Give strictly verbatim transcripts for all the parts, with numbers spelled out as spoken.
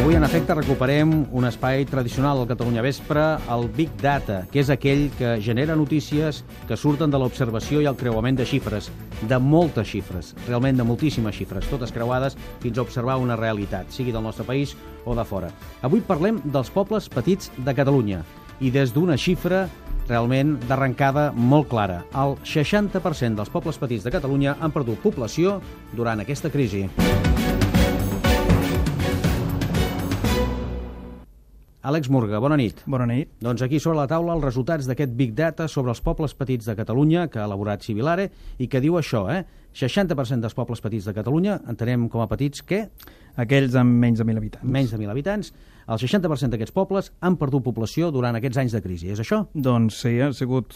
Avui, en efecte, recuperem un espai tradicional al Catalunya Vespre, el Big Data, que és aquell que genera notícies que surten de l'observació i el creuament de xifres, de moltes xifres, realment de moltíssimes xifres, totes creuades fins a observar una realitat, sigui del nostre país o de fora. Avui parlem dels pobles petits de Catalunya i des d'una xifra realment d'arrencada molt clara. El seixanta per cent dels pobles petits de Catalunya han perdut població durant aquesta crisi. Àlex Murga, bona nit. Bona nit. Doncs aquí sobre la taula els resultats d'aquest Big Data sobre els pobles petits de Catalunya que ha elaborat Civilare i que diu això, eh? seixanta per cent dels pobles petits de Catalunya, entenem com a petits què? Aquells amb menys de mil habitants. Menys de mil habitants. El seixanta per cent d'aquests pobles han perdut població durant aquests anys de crisi, és això? Doncs sí, han sigut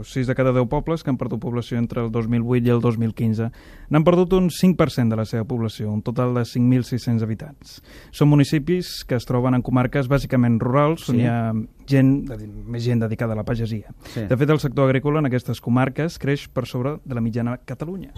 sis de cada deu pobles que han perdut població entre el dos mil vuit i el dos mil quinze. N'han perdut un cinc per cent de la seva població, un total de cinc mil sis-cents habitants. Són municipis que es troben en comarques bàsicament rurals, on sí. hi ha gent, més gent dedicada a la pagesia. Sí. De fet, el sector agrícola en aquestes comarques creix per sobre de la mitjana a Catalunya.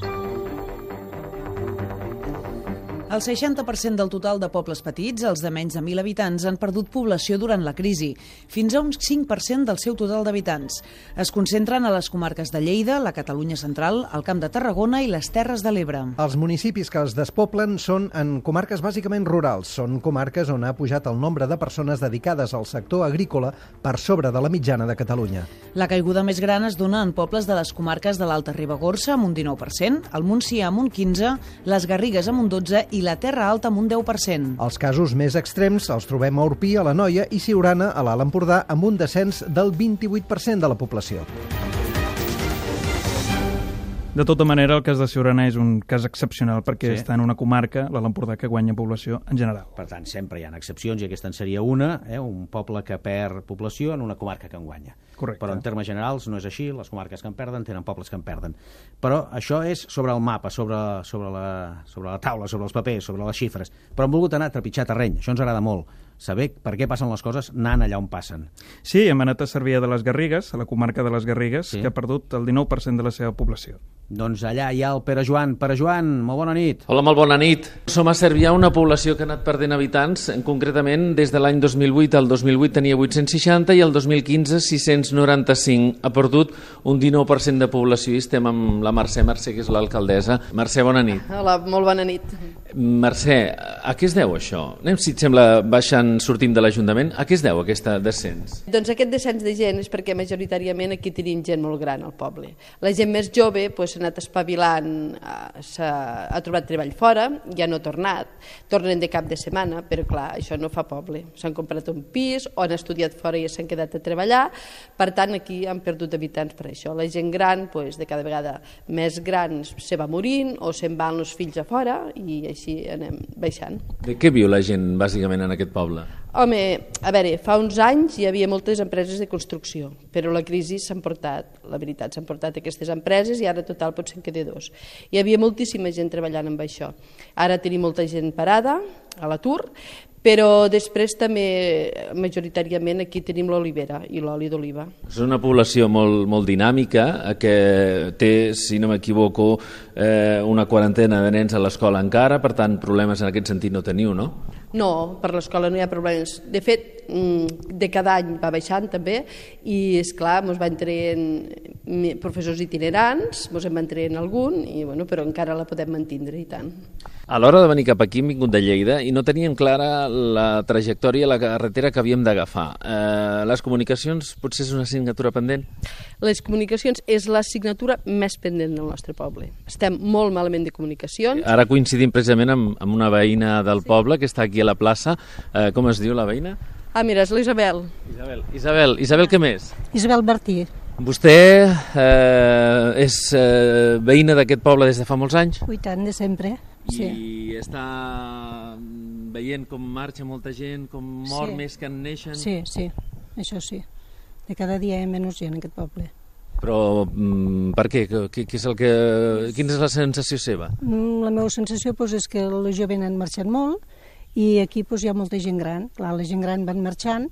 El seixanta per cent del total de pobles petits, els de menys de mil habitants, han perdut població durant la crisi, fins a un cinc per cent del seu total d'habitants. Es concentren a les comarques de Lleida, la Catalunya central, el Camp de Tarragona i les Terres de l'Ebre. Els municipis que es despoblen són en comarques bàsicament rurals. Són comarques on ha pujat el nombre de persones dedicades al sector agrícola per sobre de la mitjana de Catalunya. La caiguda més gran es dona en pobles de les comarques de l'Alta Ribagorça, amb un dinou per cent, el Montsià amb un quinze per cent, les Garrigues amb un dotze per cent i la Terra Alta amb un deu per cent. Els casos més extrems els trobem a Orpí, a l'Anoia i Siurana, a l'Alt Empordà, amb un descens del vint-i-vuit per cent de la població. De tota manera, el cas de Siurana és un cas excepcional perquè sí. està en una comarca, l'Alt Empordà, que guanya població en general. Per tant, sempre hi ha excepcions i aquesta en seria una, eh? un poble que perd població en una comarca que en guanya. Correcte. Però en termes generals no és així, les comarques que en perden tenen pobles que en perden. Però això és sobre el mapa, sobre, sobre, la, sobre la taula, sobre els papers, sobre les xifres. Però hem volgut anar a trepitjar terreny, això ens agrada molt. Saber per què passen les coses anant allà on passen. Sí, hem anat a Cervià de les Garrigues, a la comarca de les Garrigues, sí. que ha perdut el dinou per cent de la seva població. Doncs allà hi ha el Pere Joan. Pere Joan, molt bona nit. Hola, molt bona nit. Som a Cervià, una població que ha anat perdent habitants, concretament des de l'any dos mil vuit al dos mil vuit tenia vuit-cents seixanta i el dos mil quinze sis-cents noranta-cinc. Ha perdut un dinou per cent de població i estem amb la Mercè, Mercè, que és l'alcaldessa. Mercè, bona nit. Hola, molt bona nit. Mercè, a què es deu això? Anem, si et sembla, baixant, sortim de l'Ajuntament. A què es deu aquesta descens? Doncs aquest descens de gent és perquè majoritàriament aquí tenim gent molt gran al poble. La gent més jove pues, s'ha anat espavilant, s'ha, ha trobat treball fora, ja no ha tornat, tornen de cap de setmana, però clar, això no fa poble. S'han comprat un pis o han estudiat fora i s'han quedat a treballar, per tant aquí han perdut habitants per això. La gent gran, pues, de cada vegada més gran, se va morint o se'n van els fills a fora i així anem baixant. De què viu la gent bàsicament en aquest poble? Home, a veure, fa uns anys hi havia moltes empreses de construcció, però la crisi s'ha portat, la veritat, s'han portat aquestes empreses i ara total potser en queda dos. Hi havia moltíssima gent treballant amb això. Ara tenim molta gent parada, a l'atur, però després també majoritàriament aquí tenim l'olivera i l'oli d'oliva. És una població molt, molt dinàmica que té, si no m'equivoco, eh, una quarantena de nens a l'escola encara, per tant problemes en aquest sentit no teniu, no? No, per l'escola no hi ha problemes. De fet, de cada any va baixant també i, esclar, ens van traient professors itinerants, ens en van traient algun, i, bueno, però encara la podem mantindre i tant. A l'hora de venir cap aquí hem vingut de Lleida i no teníem clara la trajectòria, la carretera que havíem d'agafar. Eh, les comunicacions potser és una assignatura pendent? Les comunicacions és l'assignatura més pendent del nostre poble. Estem molt malament de comunicacions. Ara coincidim precisament amb, amb una veïna del sí. poble que està aquí a la plaça. Eh, com es diu la veïna? Ah, mira, és l'Isabel. Isabel, Isabel, Isabel, què més? Isabel Martí. Vostè eh, és eh, veïna d'aquest poble des de fa molts anys? I tant, de sempre. Sí. I està veient com marxa molta gent, com mor sí. més que en neixen? Sí, sí, això sí. De cada dia hi ha menys gent en aquest poble. Però mm, per què? Què, què és el que... Quina és la sensació seva? La meva sensació doncs, és que els joves han marxat molt i aquí doncs, hi ha molta gent gran. Clar, la gent gran van marxant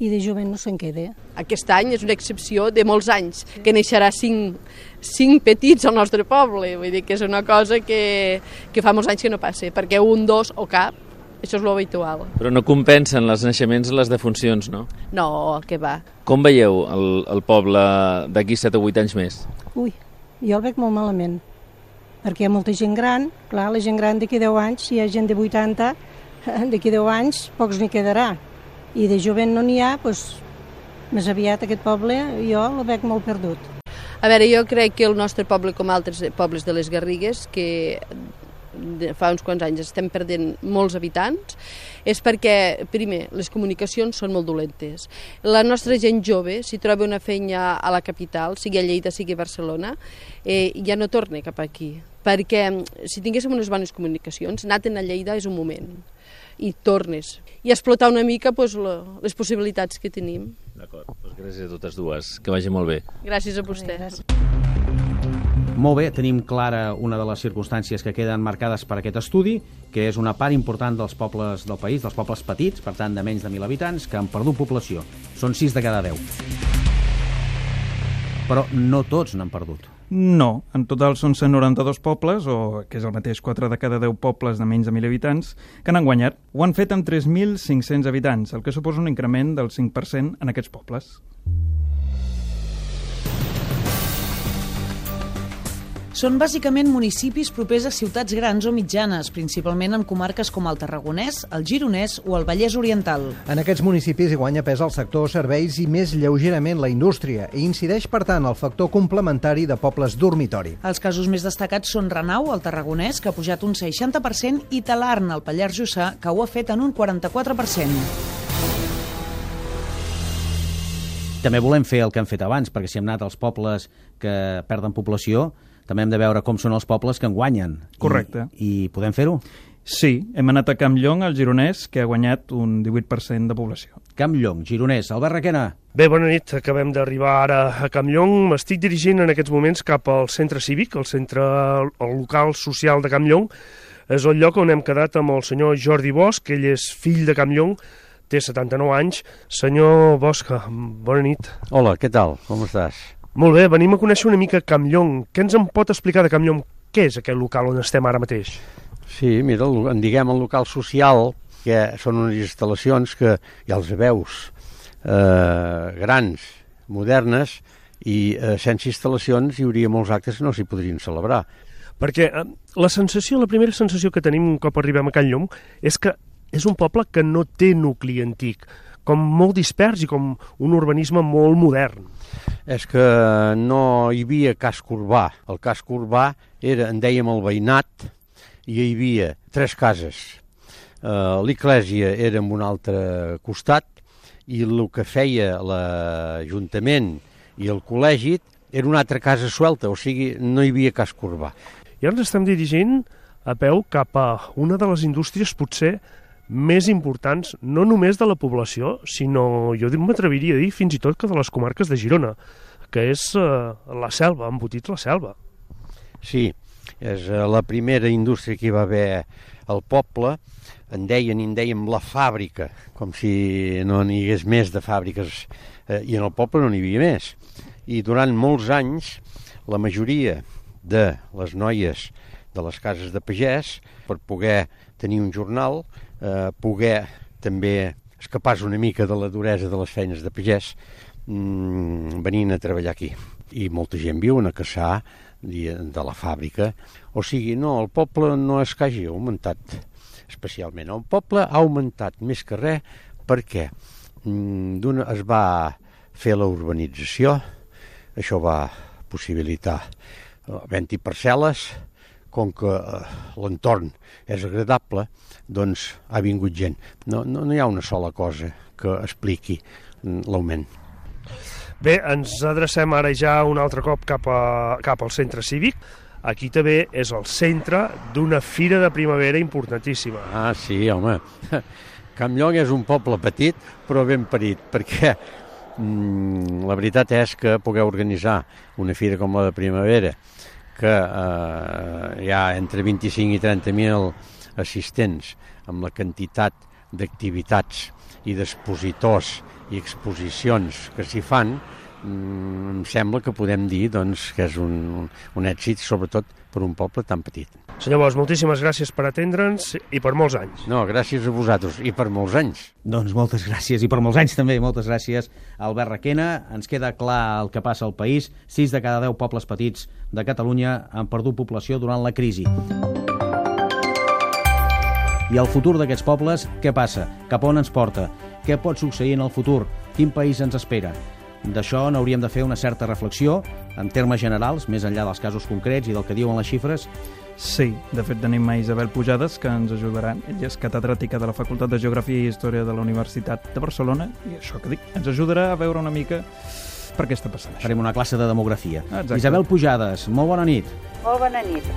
i de jovent no se'n queda. Aquest any és una excepció de molts anys, que neixerà cinc, cinc petits al nostre poble. Vull dir que és una cosa que, que fa molts anys que no passa, perquè un, dos o cap Això és l'habitual. Però no compensen els naixements les defuncions, no? No, què va. Com veieu el, el poble d'aquí set o vuit anys més? Ui, jo el veig molt malament, perquè hi ha molta gent gran, clar, la gent gran d'aquí deu anys, si hi ha gent de vuitanta, d'aquí deu anys pocs n'hi quedarà, i de jovent no n'hi ha, doncs més aviat aquest poble jo el veig molt perdut. A veure, jo crec que el nostre poble, com altres pobles de les Garrigues, que fa uns quants anys estem perdent molts habitants, és perquè, primer, les comunicacions són molt dolentes. La nostra gent jove, si troba una feina a la capital, sigui a Lleida, sigui a Barcelona, eh, ja no torna cap aquí. Perquè si tinguéssim unes bones comunicacions, anar-te'n a Lleida és un moment, i tornes. I explotar una mica pues, les possibilitats que tenim. D'acord, doncs gràcies a totes dues. Que vagi molt bé. Gràcies a vostès. Molt bé, tenim clara una de les circumstàncies que queden marcades per aquest estudi, que és una part important dels pobles del país, dels pobles petits, per tant de menys de mil habitants, que han perdut població. Són sis de cada deu. Però no tots n'han perdut. No, en total són cent noranta-dos pobles, o que és el mateix quatre de cada deu pobles de menys de mil habitants, que n'han guanyat. Ho han fet amb tres mil cinc-cents habitants, el que suposa un increment del cinc per cent en aquests pobles. Són bàsicament municipis propers a ciutats grans o mitjanes, principalment en comarques com el Tarragonès, el Gironès o el Vallès Oriental. En aquests municipis hi guanya pes el sector serveis i més lleugerament la indústria, i incideix, per tant, el factor complementari de pobles dormitori. Els casos més destacats són Renau, al Tarragonès, que ha pujat un seixanta per cent, i Talarn, al Pallars Jussà, que ho ha fet en un quaranta-quatre per cent. També volem fer el que hem fet abans, perquè si hem anat als pobles que perden població, també hem de veure com són els pobles que en guanyen. Correcte. I, i podem fer-ho? Sí, hem anat a Campllong, al Gironès, que ha guanyat un divuit per cent de població. Campllong, Gironès. Albert Requena. Bé, bona nit. Acabem d'arribar ara a Campllong. M'estic dirigint en aquests moments cap al centre cívic, el centre el local social de Campllong. És el lloc on hem quedat amb el senyor Jordi Bosch, ell és fill de Campllong, té setanta-nou anys. Senyor Bosch, bona nit. Hola, què tal? Com estàs? Molt bé, venim a conèixer una mica Campllong. Què ens en pot explicar de Campllong? Què és aquest local on estem ara mateix? Sí, mira, en diguem el local social, que són unes instal·lacions que ja els veus, eh, grans, modernes, i eh, sense instal·lacions hi hauria molts actes que no s'hi podrien celebrar. Perquè eh, la sensació, la primera sensació que tenim un cop arribem a Campllong és que és un poble que no té nucli antic, com molt dispers i com un urbanisme molt modern. És que no hi havia casc urbà. El casc urbà era, en dèiem, el veïnat, i hi havia tres cases. Uh, L'església era en un altre costat, i el que feia l'Ajuntament i el col·legi era una altra casa suelta, o sigui, no hi havia casc urbà. I ara ens estem dirigint a peu cap a una de les indústries potser més importants, no només de la població, sinó, jo m'atreviria a dir, fins i tot que de les comarques de Girona, que és eh, la selva, embotits la selva. Sí, és eh, la primera indústria que hi va haver al poble, en deien, en dèiem la fàbrica, com si no n'hi hagués més de fàbriques, eh, i en el poble no n'hi havia més. I durant molts anys, la majoria de les noies de les cases de pagès, per poder tenir un jornal, eh, poder també escapar-se una mica de la duresa de les feines de pagès, mmm, venint a treballar aquí. I molta gent viu a caçar de la fàbrica. O sigui, no, el poble no és que hagi augmentat especialment. El poble ha augmentat més que res perquè mm, es va fer la urbanització, això va possibilitar havent-hi parcel·les, com que eh, l'entorn és agradable, doncs ha vingut gent. No, no, no hi ha una sola cosa que expliqui l'augment. Bé, ens adrecem ara ja un altre cop cap, a, cap al centre cívic. Aquí també és el centre d'una fira de primavera importantíssima. Ah, sí, home. Campllong és un poble petit, però ben parit, perquè mm, la veritat és que poder organitzar una fira com la de primavera, que eh, hi ha entre vint-i-cinc i trenta mil assistents, amb la quantitat d'activitats i d'expositors i exposicions que s'hi fan, em sembla que podem dir doncs, que és un, un èxit, sobretot per un poble tan petit. Senyor Bosch, moltíssimes gràcies per atendre'ns i per molts anys. No, gràcies a vosaltres i per molts anys. Doncs moltes gràcies i per molts anys també. Moltes gràcies, Albert Requena. Ens queda clar el que passa al país. Sis de cada deu pobles petits de Catalunya han perdut població durant la crisi. I el futur d'aquests pobles, què passa? Cap on ens porta? Què pot succeir en el futur? Quin país ens espera? D'això n'hauríem de fer una certa reflexió, en termes generals, més enllà dels casos concrets i del que diuen les xifres. Sí, de fet tenim a Isabel Pujades, que ens ajudarà. Ella és catedràtica de la Facultat de Geografia i Història de la Universitat de Barcelona, i això que dic, ens ajudarà a veure una mica per què està passant això. Farem una classe de demografia. Exacte. Isabel Pujades, molt bona nit. Molt bona nit.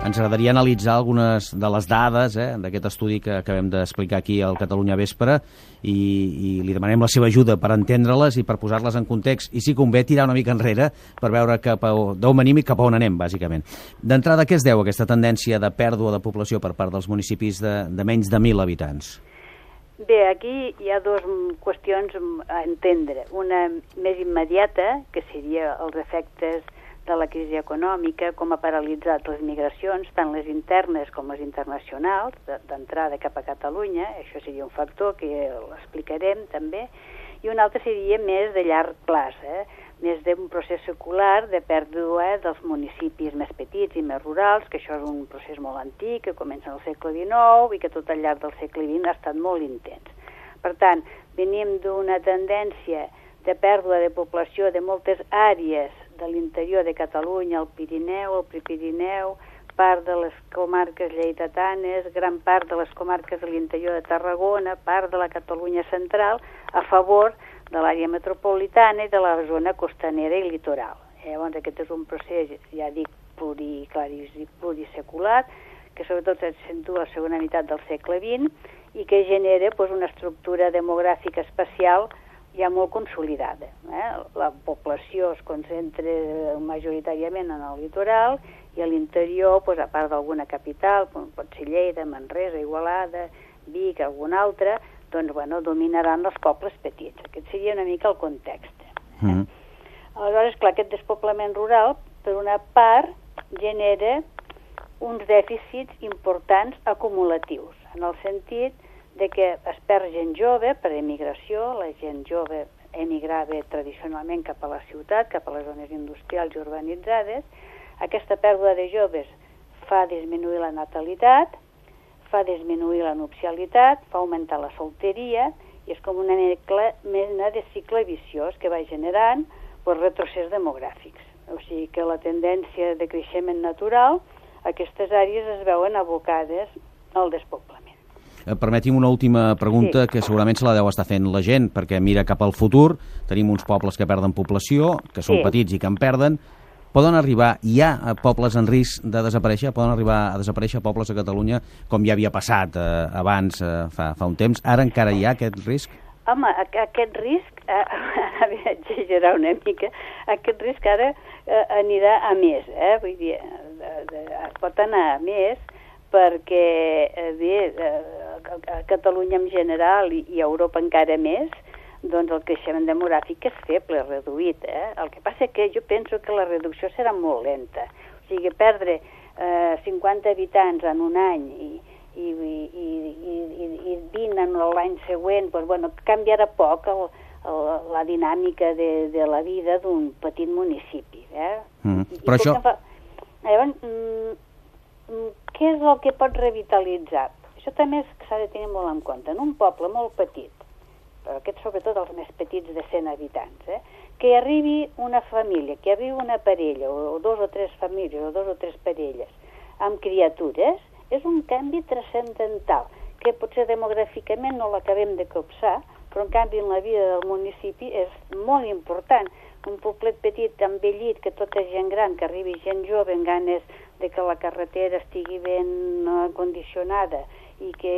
Ens agradaria analitzar algunes de les dades eh, d'aquest estudi que acabem d'explicar aquí al Catalunya Vespre i, i li demanem la seva ajuda per entendre-les i per posar-les en context i, si convé, tirar una mica enrere per veure cap a, d'on venim i cap a on anem, bàsicament. D'entrada, què es deu aquesta tendència de pèrdua de població per part dels municipis de, de menys de mil habitants? Bé, aquí hi ha dues qüestions a entendre. Una més immediata, que seria els efectes de la crisi econòmica, com ha paralitzat les migracions, tant les internes com les internacionals, d'entrada cap a Catalunya. Això seria un factor que l'explicarem també. I un altre seria més de llarg plaç, eh? Més d'un procés secular de pèrdua dels municipis més petits i més rurals, que això és un procés molt antic, que comença al segle dinou i que tot al llarg del segle vint ha estat molt intens. Per tant, venim d'una tendència de pèrdua de població de moltes àrees de l'interior de Catalunya, el Pirineu, el Prepirineu, part de les comarques lleidatanes, gran part de les comarques de l'interior de Tarragona, part de la Catalunya central, a favor de l'àrea metropolitana i de la zona costanera i litoral. Llavors, aquest és un procés, ja dic, plurisecular, que sobretot s'accentua a la segona meitat del segle vint i que genera pues, una estructura demogràfica especial ja molt consolidada. Eh? La població es concentra majoritàriament en el litoral i a l'interior, pues, a part d'alguna capital, pot ser Lleida, Manresa, Igualada, Vic, algun altre, doncs, bueno, dominaran els pobles petits. Aquest seria una mica el context. Eh? Mm. Aleshores, clar, aquest despoblament rural, per una part, genera uns dèficits importants acumulatius, en el sentit de que es perd gent jove per emigració, la gent jove emigrava tradicionalment cap a la ciutat, cap a les zones industrials i urbanitzades. Aquesta pèrdua de joves fa disminuir la natalitat, fa disminuir la nupcialitat, fa augmentar la solteria, i és com una mena de cicle viciós que va generant pues, retrocés demogràfics. O sigui que la tendència de creixement natural, aquestes àrees es veuen abocades al despoblament. Permeti'm una última pregunta, sí, que segurament se la deu estar fent la gent, perquè mira cap al futur, tenim uns pobles que perden població, que són sí. petits i que en perden. Poden arribar, hi ha pobles en risc de desaparèixer? Poden arribar a desaparèixer pobles a Catalunya, com ja havia passat eh, abans, eh, fa, fa un temps? Ara encara hi ha aquest risc? Home, aquest risc, eh, havia d'exagerar una mica, aquest risc ara eh, anirà a més, eh? Vull dir, de, de, pot anar a més, perquè eh, bé, eh, a Catalunya en general i, i a Europa encara més, doncs el creixement demogràfic és feble, reduït. Eh? El que passa que jo penso que la reducció serà molt lenta. O sigui, perdre eh, cinquanta habitants en un any i, i, i, i, i vint en l'any següent, doncs, bueno, canviarà poc el, el, la dinàmica de, de la vida d'un petit municipi. Eh? Mm. I, Però i això... Fa... Llavors, mm, què és el que pot revitalitzar? Això també s'ha de tenir molt en compte. En un poble molt petit, però aquests sobretot els més petits de cent habitants, eh? que arribi una família, que arribi una parella, o, o dos o tres famílies, o dos o tres parelles, amb criatures, és un canvi transcendental, que potser demogràficament no l'acabem de copsar, però en canvi en la vida del municipi és molt important. Un poblet petit, envellit, que tot és gent gran, que arribi gent jove amb ganes de que la carretera estigui ben uh, condicionada i que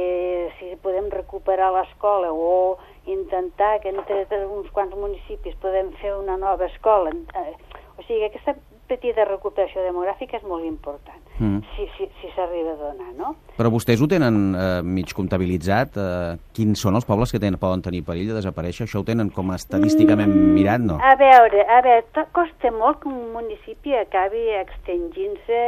si podem recuperar l'escola o intentar que entre uns quants municipis podem fer una nova escola. Uh, o sigui, aquesta petita recuperació demogràfica és molt important, mm. si si, si s'arriba a donar, no? Però vostès ho tenen eh, mig comptabilitzat? Eh, quins són els pobles que tenen, poden tenir perill de desaparèixer? Això ho tenen com a estadísticament mm. mirat, no? A veure, a veure, costa molt que un municipi acabi extingint-se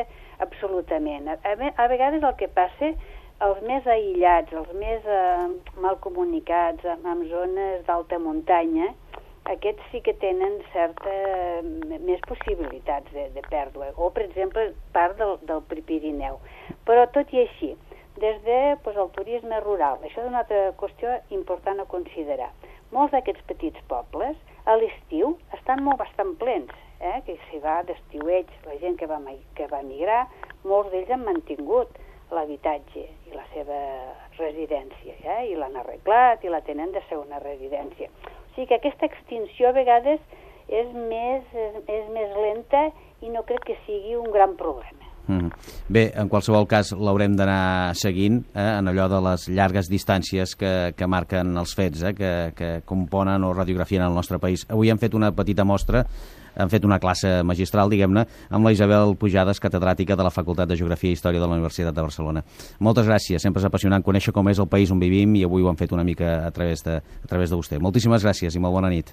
absolutament. A, a, a vegades el que passa, els més aïllats, els més eh, mal comunicats, amb zones d'alta muntanya, aquests sí que tenen certa més possibilitats de, de pèrdua, o per exemple part del, del Pirineu. Però tot i així, des de pues, el turisme rural, això és una altra qüestió important a considerar. Molts d'aquests petits pobles a l'estiu estan molt bastant plens, eh? Que s'hi va d'estiueig, la gent que va, que va migrar, molts d'ells han mantingut l'habitatge i la seva residència, eh? I l'han arreglat i la tenen de segona residència. O sigui que aquesta extinció a vegades és més, és, és més lenta i no crec que sigui un gran problema. Mm. Bé, en qualsevol cas l'haurem d'anar seguint eh, en allò de les llargues distàncies que, que marquen els fets, eh, que, que componen o radiografien el nostre país. Avui hem fet una petita mostra, hem fet una classe magistral, diguem-ne, amb la Isabel Pujades, catedràtica de la Facultat de Geografia i Història de la Universitat de Barcelona. Moltes gràcies, sempre és apassionant conèixer com és el país on vivim i avui ho hem fet una mica a través de, a través de vostè. Moltíssimes gràcies i molt bona nit.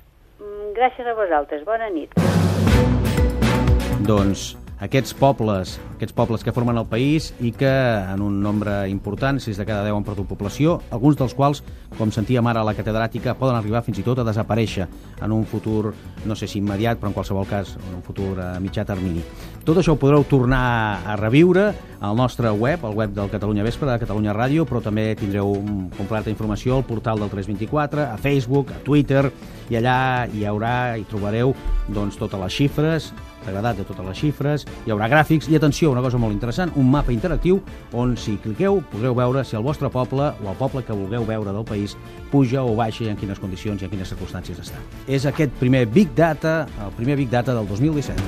Gràcies a vosaltres, bona nit. Doncs aquests pobles, aquests pobles que formen el país i que en un nombre important, sis de cada deu han perdut població, alguns dels quals, com sentíem ara a la catedràtica, poden arribar fins i tot a desaparèixer en un futur, no sé si immediat, però en qualsevol cas en un futur a mitjà termini. Tot això ho podreu tornar a reviure al nostre web, al web del Catalunya Vespre, de Catalunya Ràdio, però també tindreu completa informació al portal del tres vint-i-quatre, a Facebook, a Twitter, i allà hi haurà, hi trobareu doncs, totes les xifres, l'agradat de totes les xifres, hi haurà gràfics i, atenció, una cosa molt interessant, un mapa interactiu on, si cliqueu, podreu veure si el vostre poble o el poble que vulgueu veure del país puja o baixa i en quines condicions i en quines circumstàncies està. És aquest primer Big Data, el primer Big Data del dos mil disset.